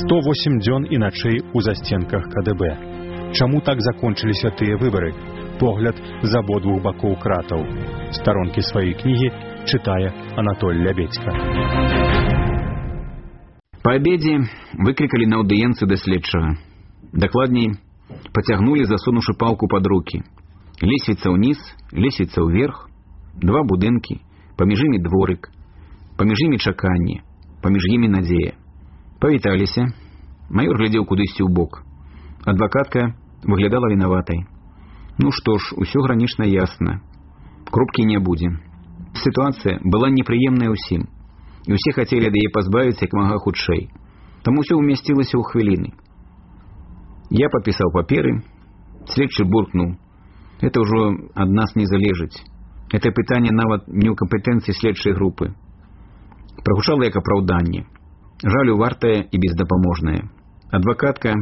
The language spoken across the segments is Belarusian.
108 дзён і начэй у засценках КДБ. Чаму так закончыліся тыя выбары? Погляд з абодвух бакоў кратаў. Старонкі сваёй кнігі чытае Анатоль Лябедзька. Па абедзе выклікалі на аўдыенцыю да следчага. Дакладней, пацягнулі, засунуўшы палку пад рукі. Лесвіца ўніз, лесвіца ўверх, два будынкі, паміж імі дворык, паміж імі чаканне, паміж імі надзея. Павіталіся. Маёр глядзеў кудысьці ў бок. Адвакатка выглядала вінаватай. Ну што ж, усё гранічна ясна. Крупкі не будзе. Сітуацыя была непрыемная ўсім. І ўсе хацелі ад яе пазбавіцца як мага хутчэй. Таму ўсё ўмясцілася ў хвіліны. Я падпісаў паперы. Следчы буркнуў. Это ўжо ад нас не залежыць. Это пытанне нават не ў кампетэнцыі следчай групы. Прагучала як апраўданне. Жалю вартая і бездапаможная. Адвакатка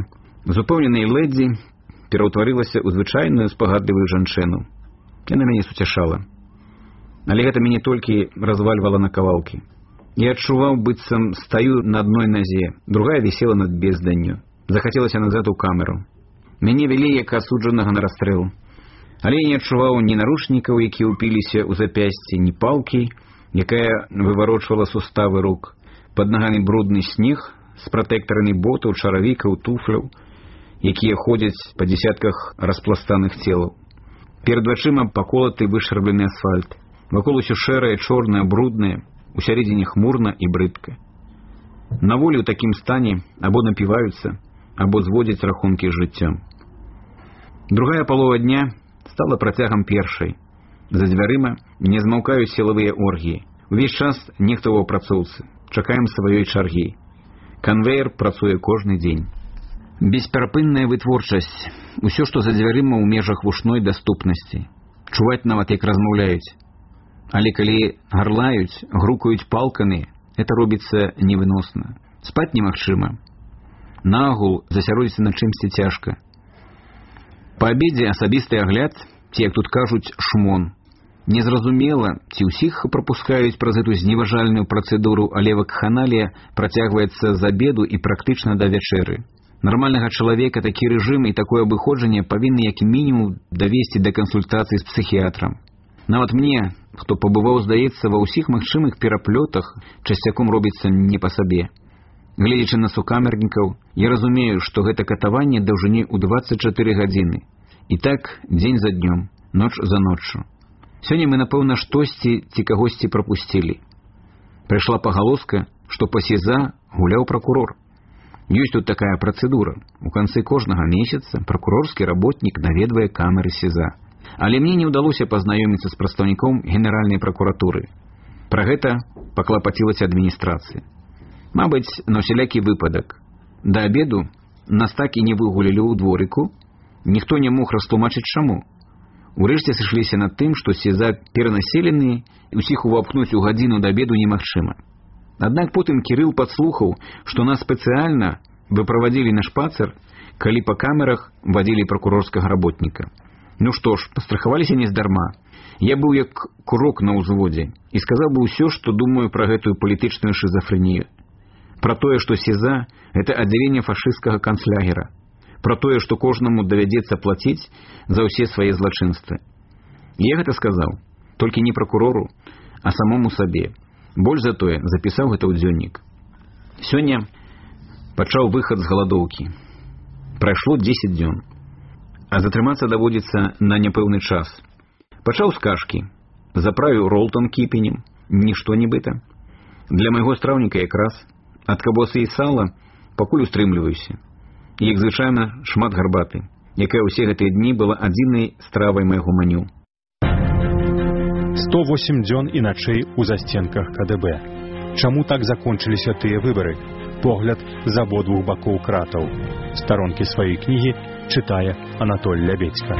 з упэўненай лэдзі пераўтварылася ў звычайную спагадлівую жанчыну. Яна мяне суцяшала. Але гэта мяне толькі развальвала на кавалкі. Я адчуваў, быццам стаю на адной назе, другая вісела над безданню. Захацелася назад у камеру. Мяне вялі як асуджанага на расстрэл. Але я не адчуваў ні наручнікаў, якія ўпіліся ў запясці, ні палкі, якая выварочвала суставы рук. Пад нагамі брудны снег з пратэктарамі ботаў, чаравікаў, туфляў, якія ходзяць па дзесятках распластаных целаў. Перад вачыма паколаты вышарблены асфальт. Вакол усё шэрае, чорнае, бруднае, усярэдзіне хмурна і брыдка. На волі ў такім стане або напіваюцца, або зводзяць рахункі з жыццём. Другая палова дня стала працягам першай. За дзвярыма не змаўкаюць сілавыя оргіі. Увесь час нехта ў апрацоўцы. Чакаем сваёй чаргі. Канвеер працуе кожны дзень. Бесперапынная вытворчасць. Усё, што за дзвярыма ў межах вушной даступнасці. Чуваць нават, як размаўляюць. Але калі гарлаюць, грукаюць палкамі, это робіцца невыносна. Спаць немагчыма. Нагул засяродзіцца на чымсьці цяжка. Па абедзе асабісты агляд, ці, як тут кажуць, шмон. Незразумела, ці ўсіх прапускаюць праз эту зневажальную працэдуру, але вакханалія працягваецца з абеду і практычна да вячэры. Нармальнага чалавека такі рэжым і такое абыходжанне павінны як мінімум давесці да кансультацыі з псіхіятрам. Нават мне, хто пабываў, здаецца, ва ўсіх магчымых пераплётах, часцяком робіцца не па сабе. Гледзячы на сукамернікаў, я разумею, што гэта катаванне даўжынёй у 24 гадзіны. І так дзень за днём, ноч за ноччу. Сёння мы, напэўна, штосьці ці кагосьці прапусцілі. Прыйшла пагалоска, што па СІЗА гуляў пракурор. Ёсць тут такая працэдура. У канцы кожнага месяца пракурорскі работнік наведвае камеры СІЗА. Але мне не ўдалося пазнаёміцца з прадстаўніком генеральнай пракуратуры. Пра гэта паклапацілася адміністрацыя. Мабыць, на ўсялякі выпадак. Да абеду нас так і не выгулілі ў дворыку. Ніхто не мог растлумачыць чаму. Урэшце сышліся над тым, што СІЗА перанаселены, і ўсіх увапхнуць у гадзіну да абеду немагчыма. Аднак потым Кірыл падслухаў, што нас спецыяльна выправадзілі на шпацыр, калі па камерах вадзілі пракурорскага работніка. Ну што ж, пастрахаваліся нездарма. Я быў як курок на ўзводзе і сказаў бы ўсё, што думаю пра гэтую палітычную шизафрэнію. Пра тое, што СІЗА – гэта аддзяленне фашысцкага канцлягера. Пра тое, што кожнаму давядзецца плаціць за ўсе свае злачынствы. Я гэта сказаў, толькі не пракурору, а самому сабе. Больш за тое, запісаў гэта ў дзённік. Сёння пачаў выхад з галадоўкі. Прайшло 10 дзён. А затрымацца даводзіцца на няпэўны час. Пачаў з кашкі. Заправіў ролтон кіпенем. Нішто нібыта. Для майго страўніка якраз. Ад кабосы і сала пакуль устрымліваюся. І, як звычайна, шмат гарбаты, якая ўсе гэтыя дні была адзінай стравай майго меню. 108 дзён і начэй у засценках КДБ. Чаму так закончыліся тыя выбары? Погляд з абодвух бакоў кратаў. Старонкі сваёй кнігі чытае Анатоль Лябедзька.